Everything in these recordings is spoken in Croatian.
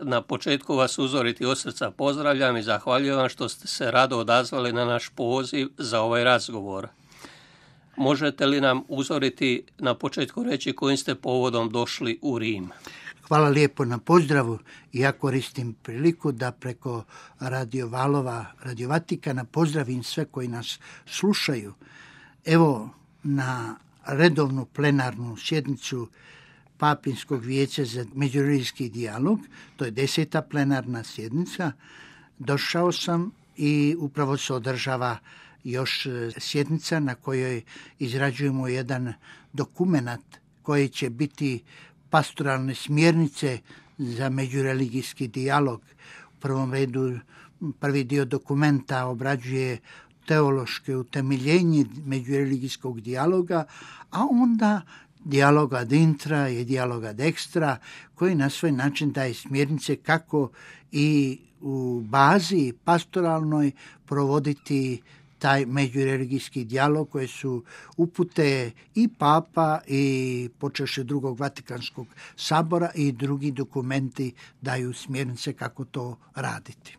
Na početku vas uzoriti od srca pozdravljam i zahvaljujem vam što ste se rado odazvali na naš poziv za ovaj razgovor. Možete li nam uzoriti na početku reći kojim ste povodom došli u Rim? Hvala lijepo na pozdravu. Ja koristim priliku da preko Radio Valova, Radio Vatikana pozdravim sve koji nas slušaju. Evo, na redovnu plenarnu sjednicu Papinskog vijeća za međureligijski dijalog, to je 10. plenarna sjednica, došao sam i upravo se održava još sjednica na kojoj izrađujemo jedan dokumenat koji će biti pastoralne smjernice za međureligijski dijalog. U prvom redu prvi dio dokumenta obrađuje teološke utemeljenje međureligijskog dijaloga, a onda dijalog ad intra i dijalog ad extra, koji na svoj način daje smjernice kako i u bazi pastoralnoj provoditi taj međureligijski dijalog koje su upute i Papa i počevši drugog Vatikanskog sabora i drugi dokumenti daju smjernice kako to raditi.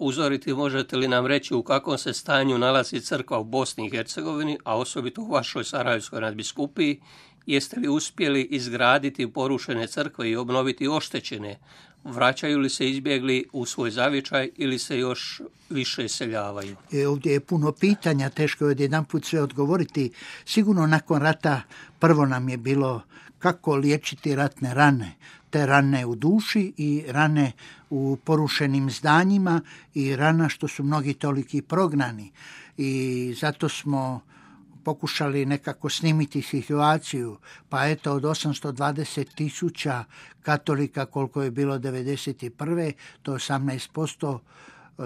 Uzoriti, možete li nam reći u kakvom se stanju nalazi crkva u Bosni i Hercegovini, a osobito u vašoj Sarajevskoj nadbiskupiji? Jeste li uspjeli izgraditi porušene crkve i obnoviti oštećene? Vraćaju li se izbjegli u svoj zavičaj ili se još više iseljavaju? Ovdje je puno pitanja, teško je odjedanput sve odgovoriti. Sigurno nakon rata prvo nam je bilo kako liječiti ratne rane. Te rane u duši i rane u porušenim zdanjima i rana što su mnogi toliki prognani. I zato smo pokušali nekako snimiti situaciju, pa eto od 820,000 katolika koliko je bilo 1991. to je 18%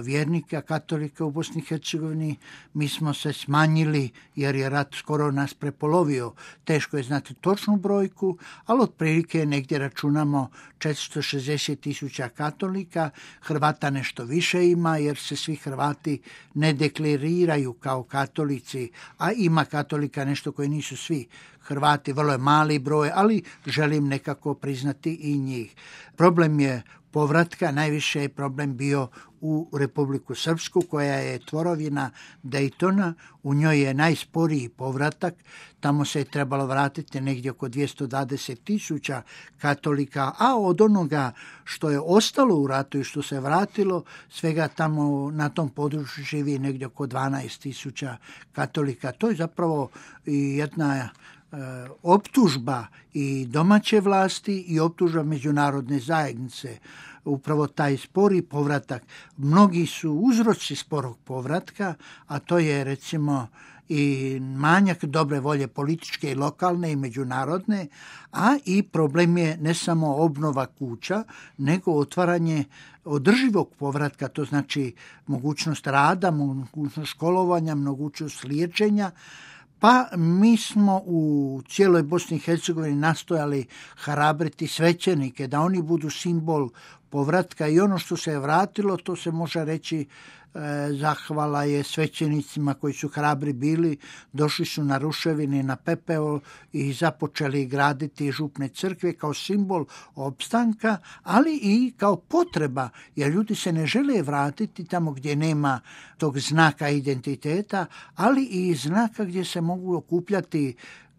vjernika katolika u Bosni i Hercegovini. Mi smo se smanjili jer je rat skoro nas prepolovio. Teško je znati točnu brojku, ali otprilike negdje računamo 460,000 katolika. Hrvata nešto više ima jer se svi Hrvati ne deklariraju kao katolici, a ima katolika nešto koji nisu svi Hrvati, vrlo je mali broj, ali želim nekako priznati i njih. Problem je povratka, najviše je problem bio u Republiku Srpsku, koja je tvorovina Daytona, u njoj je najsporiji povratak, tamo se je trebalo vratiti negdje oko 220,000 katolika, a od onoga što je ostalo u ratu i što se vratilo, svega tamo na tom području živi negdje oko 12,000 katolika. To je zapravo jedna optužba i domaće vlasti i optužba međunarodne zajednice. Upravo taj spori povratak. Mnogi su uzroci sporog povratka, a to je recimo i manjak dobre volje političke i lokalne i međunarodne, a i problem je ne samo obnova kuća, nego otvaranje održivog povratka, to znači mogućnost rada, mogućnost školovanja, mogućnost liječenja. Pa mi smo u cijeloj Bosni i Hercegovini nastojali hrabriti svećenike, da oni budu simbol povratka i ono što se je vratilo, to se može reći zahvala je svećenicima koji su hrabri bili, došli su na ruševine, na pepeo i započeli graditi župne crkve kao simbol opstanka, ali i kao potreba, jer ljudi se ne žele vratiti tamo gdje nema tog znaka identiteta, ali i znaka gdje se mogu okupljati,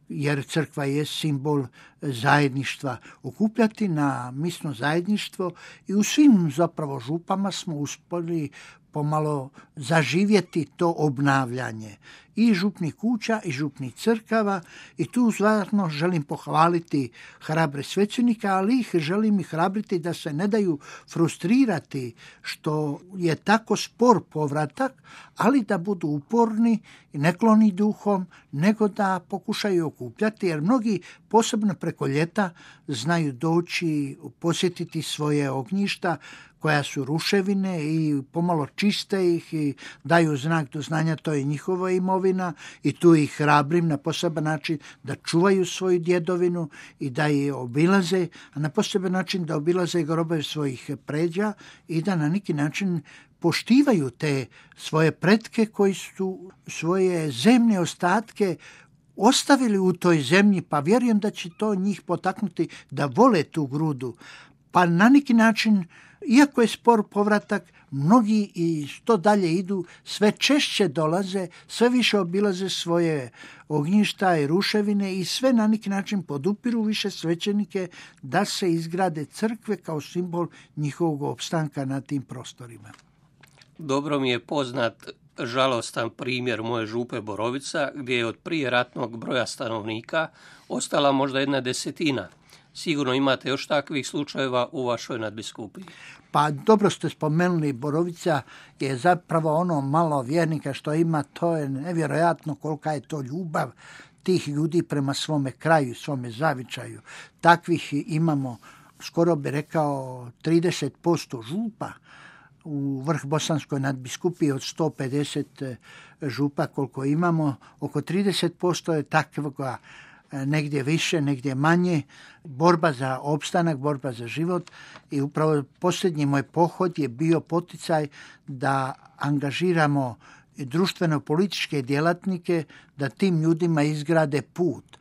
jer crkva je simbol zajedništva, okupljati na misno zajedništvo i u svim zapravo župama smo uspjeli pomalo zaživjeti to obnavljanje i župnih kuća i župnih crkava i tu stvarno želim pohvaliti hrabre svećenika, ali ih želim i hrabriti da se ne daju frustrirati što je tako spor povratak, ali da budu uporni i nekloni duhom, nego da pokušaju okupljati, jer mnogi posebno preko ljeta znaju doći posjetiti svoje ognjišta koja su ruševine i pomalo čiste ih i daju znak do znanja, to je njihova imovina i tu ih hrabrim na poseban način da čuvaju svoju djedovinu i da je obilaze, a na poseban način da obilaze grobove svojih pređa i da na neki način poštivaju te svoje pretke koji su svoje zemne ostatke ostavili u toj zemlji, pa vjerujem da će to njih potaknuti da vole tu grudu. Pa na neki način, iako je spor povratak, mnogi i što dalje idu, sve češće dolaze, sve više obilaze svoje ognjišta i ruševine i sve na neki način podupiru više svećenike da se izgrade crkve kao simbol njihovog opstanka na tim prostorima. Dobro mi je poznat žalostan primjer moje župe Borovica, gdje je od prije ratnog broja stanovnika ostala možda 1/10. Sigurno imate još takvih slučajeva u vašoj nadbiskupiji. Pa dobro ste spomenuli, Borovica je zapravo ono malo vjernika što ima, to je nevjerojatno kolika je to ljubav tih ljudi prema svome kraju, svome zavičaju. Takvih imamo, skoro bi rekao, 30% župa u vrh Bosanskoj nadbiskupiji od 150 župa koliko imamo. Oko 30% je takvoga, negdje više, negdje manje, borba za opstanak, borba za život i upravo posljednji moj pohod je bio poticaj da angažiramo društveno-političke djelatnike da tim ljudima izgrade put.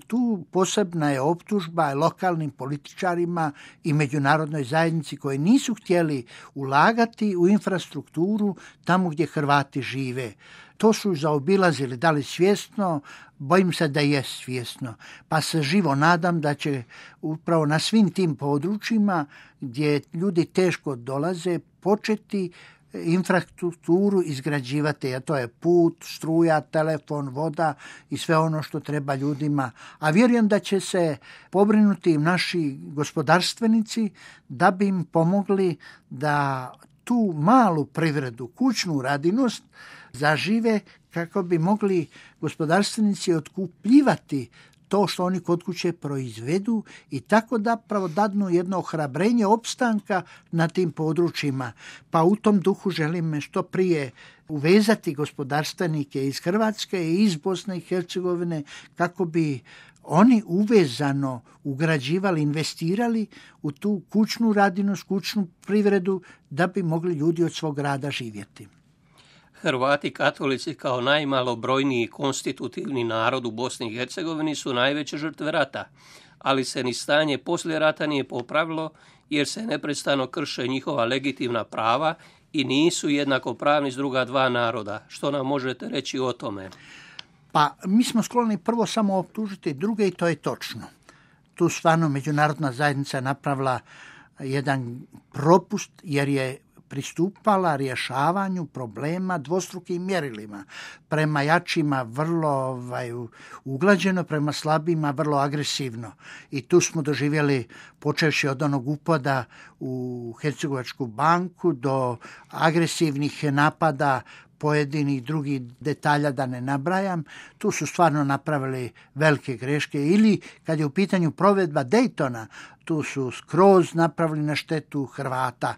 Tu posebna je optužba lokalnim političarima i međunarodnoj zajednici koji nisu htjeli ulagati u infrastrukturu tamo gdje Hrvati žive. To su zaobilazili, da li svjesno, bojim se da je svjesno. Pa se živo nadam da će upravo na svim tim područjima gdje ljudi teško dolaze početi infrastrukturu izgrađivati, a to je put, struja, telefon, voda i sve ono što treba ljudima. A vjerujem da će se pobrinuti naši gospodarstvenici da bi im pomogli da tu malu privredu, kućnu radinost zažive kako bi mogli gospodarstvenici otkupljivati to što oni kod kuće proizvedu i tako da pravo dadnu jedno ohrabrenje opstanka na tim područjima. Pa u tom duhu želim što prije uvezati gospodarstvenike iz Hrvatske i iz Bosne i Hercegovine kako bi oni uvezano ugrađivali, investirali u tu kućnu radinost, kućnu privredu da bi mogli ljudi od svog rada živjeti. Hrvati katolici kao najmalobrojniji konstitutivni narod u Bosni i Hercegovini su najveće žrtve rata, ali se ni stanje poslije rata nije popravilo jer se neprestano krše njihova legitimna prava i nisu jednakopravni s druga dva naroda. Što nam možete reći o tome? Pa mi smo skloni prvo samo optužiti druge i to je točno. Tu stvarno međunarodna zajednica napravila jedan propust jer je pristupala rješavanju problema dvostrukim mjerilima. Prema jačima vrlo uglađeno, prema slabima vrlo agresivno. I tu smo doživjeli, počevši od onog upada u Hercegovačku banku do agresivnih napada pojedinih drugih detalja da ne nabrajam, tu su stvarno napravili velike greške. Ili kad je u pitanju provedba Daytona, tu su skroz napravili na štetu Hrvata.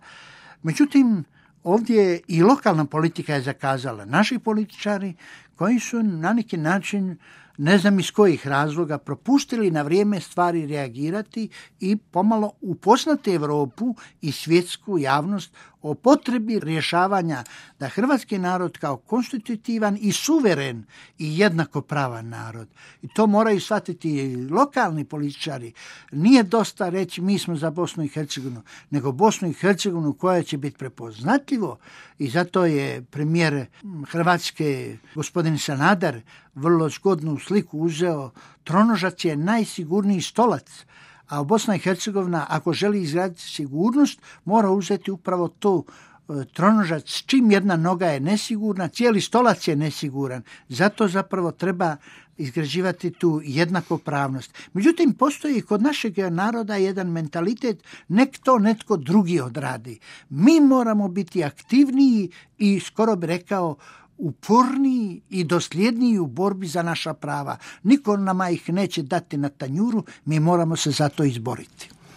Međutim, ovdje i lokalna politika je zakazala. Naši političari koji su na neki način, ne znam iz kojih razloga, propustili na vrijeme stvari reagirati i pomalo upoznati Europu i svjetsku javnost o potrebi rješavanja da hrvatski narod kao konstitutivan i suveren i jednakopravan narod. I to moraju shvatiti i lokalni političari. Nije dosta reći mi smo za Bosnu i Hercegovinu, nego Bosnu i Hercegovinu koja će biti prepoznatljivo i zato je premijer Hrvatske gospodin Sanader vrlo zgodnu sliku uzeo. Tronožac je najsigurniji stolac, a Bosna i Hercegovina ako želi izgraditi sigurnost mora uzeti upravo to tronožac. Čim jedna noga je nesigurna, cijeli stolac je nesiguran. Zato zapravo treba izgrađivati tu jednakopravnost. Međutim, postoji kod našeg naroda jedan mentalitet, nek to netko drugi odradi. Mi moramo biti aktivniji i skoro bi rekao uporniji i dosljedniji u borbi za naša prava. Niko nama ih neće dati na tanjuru, mi moramo se za to izboriti.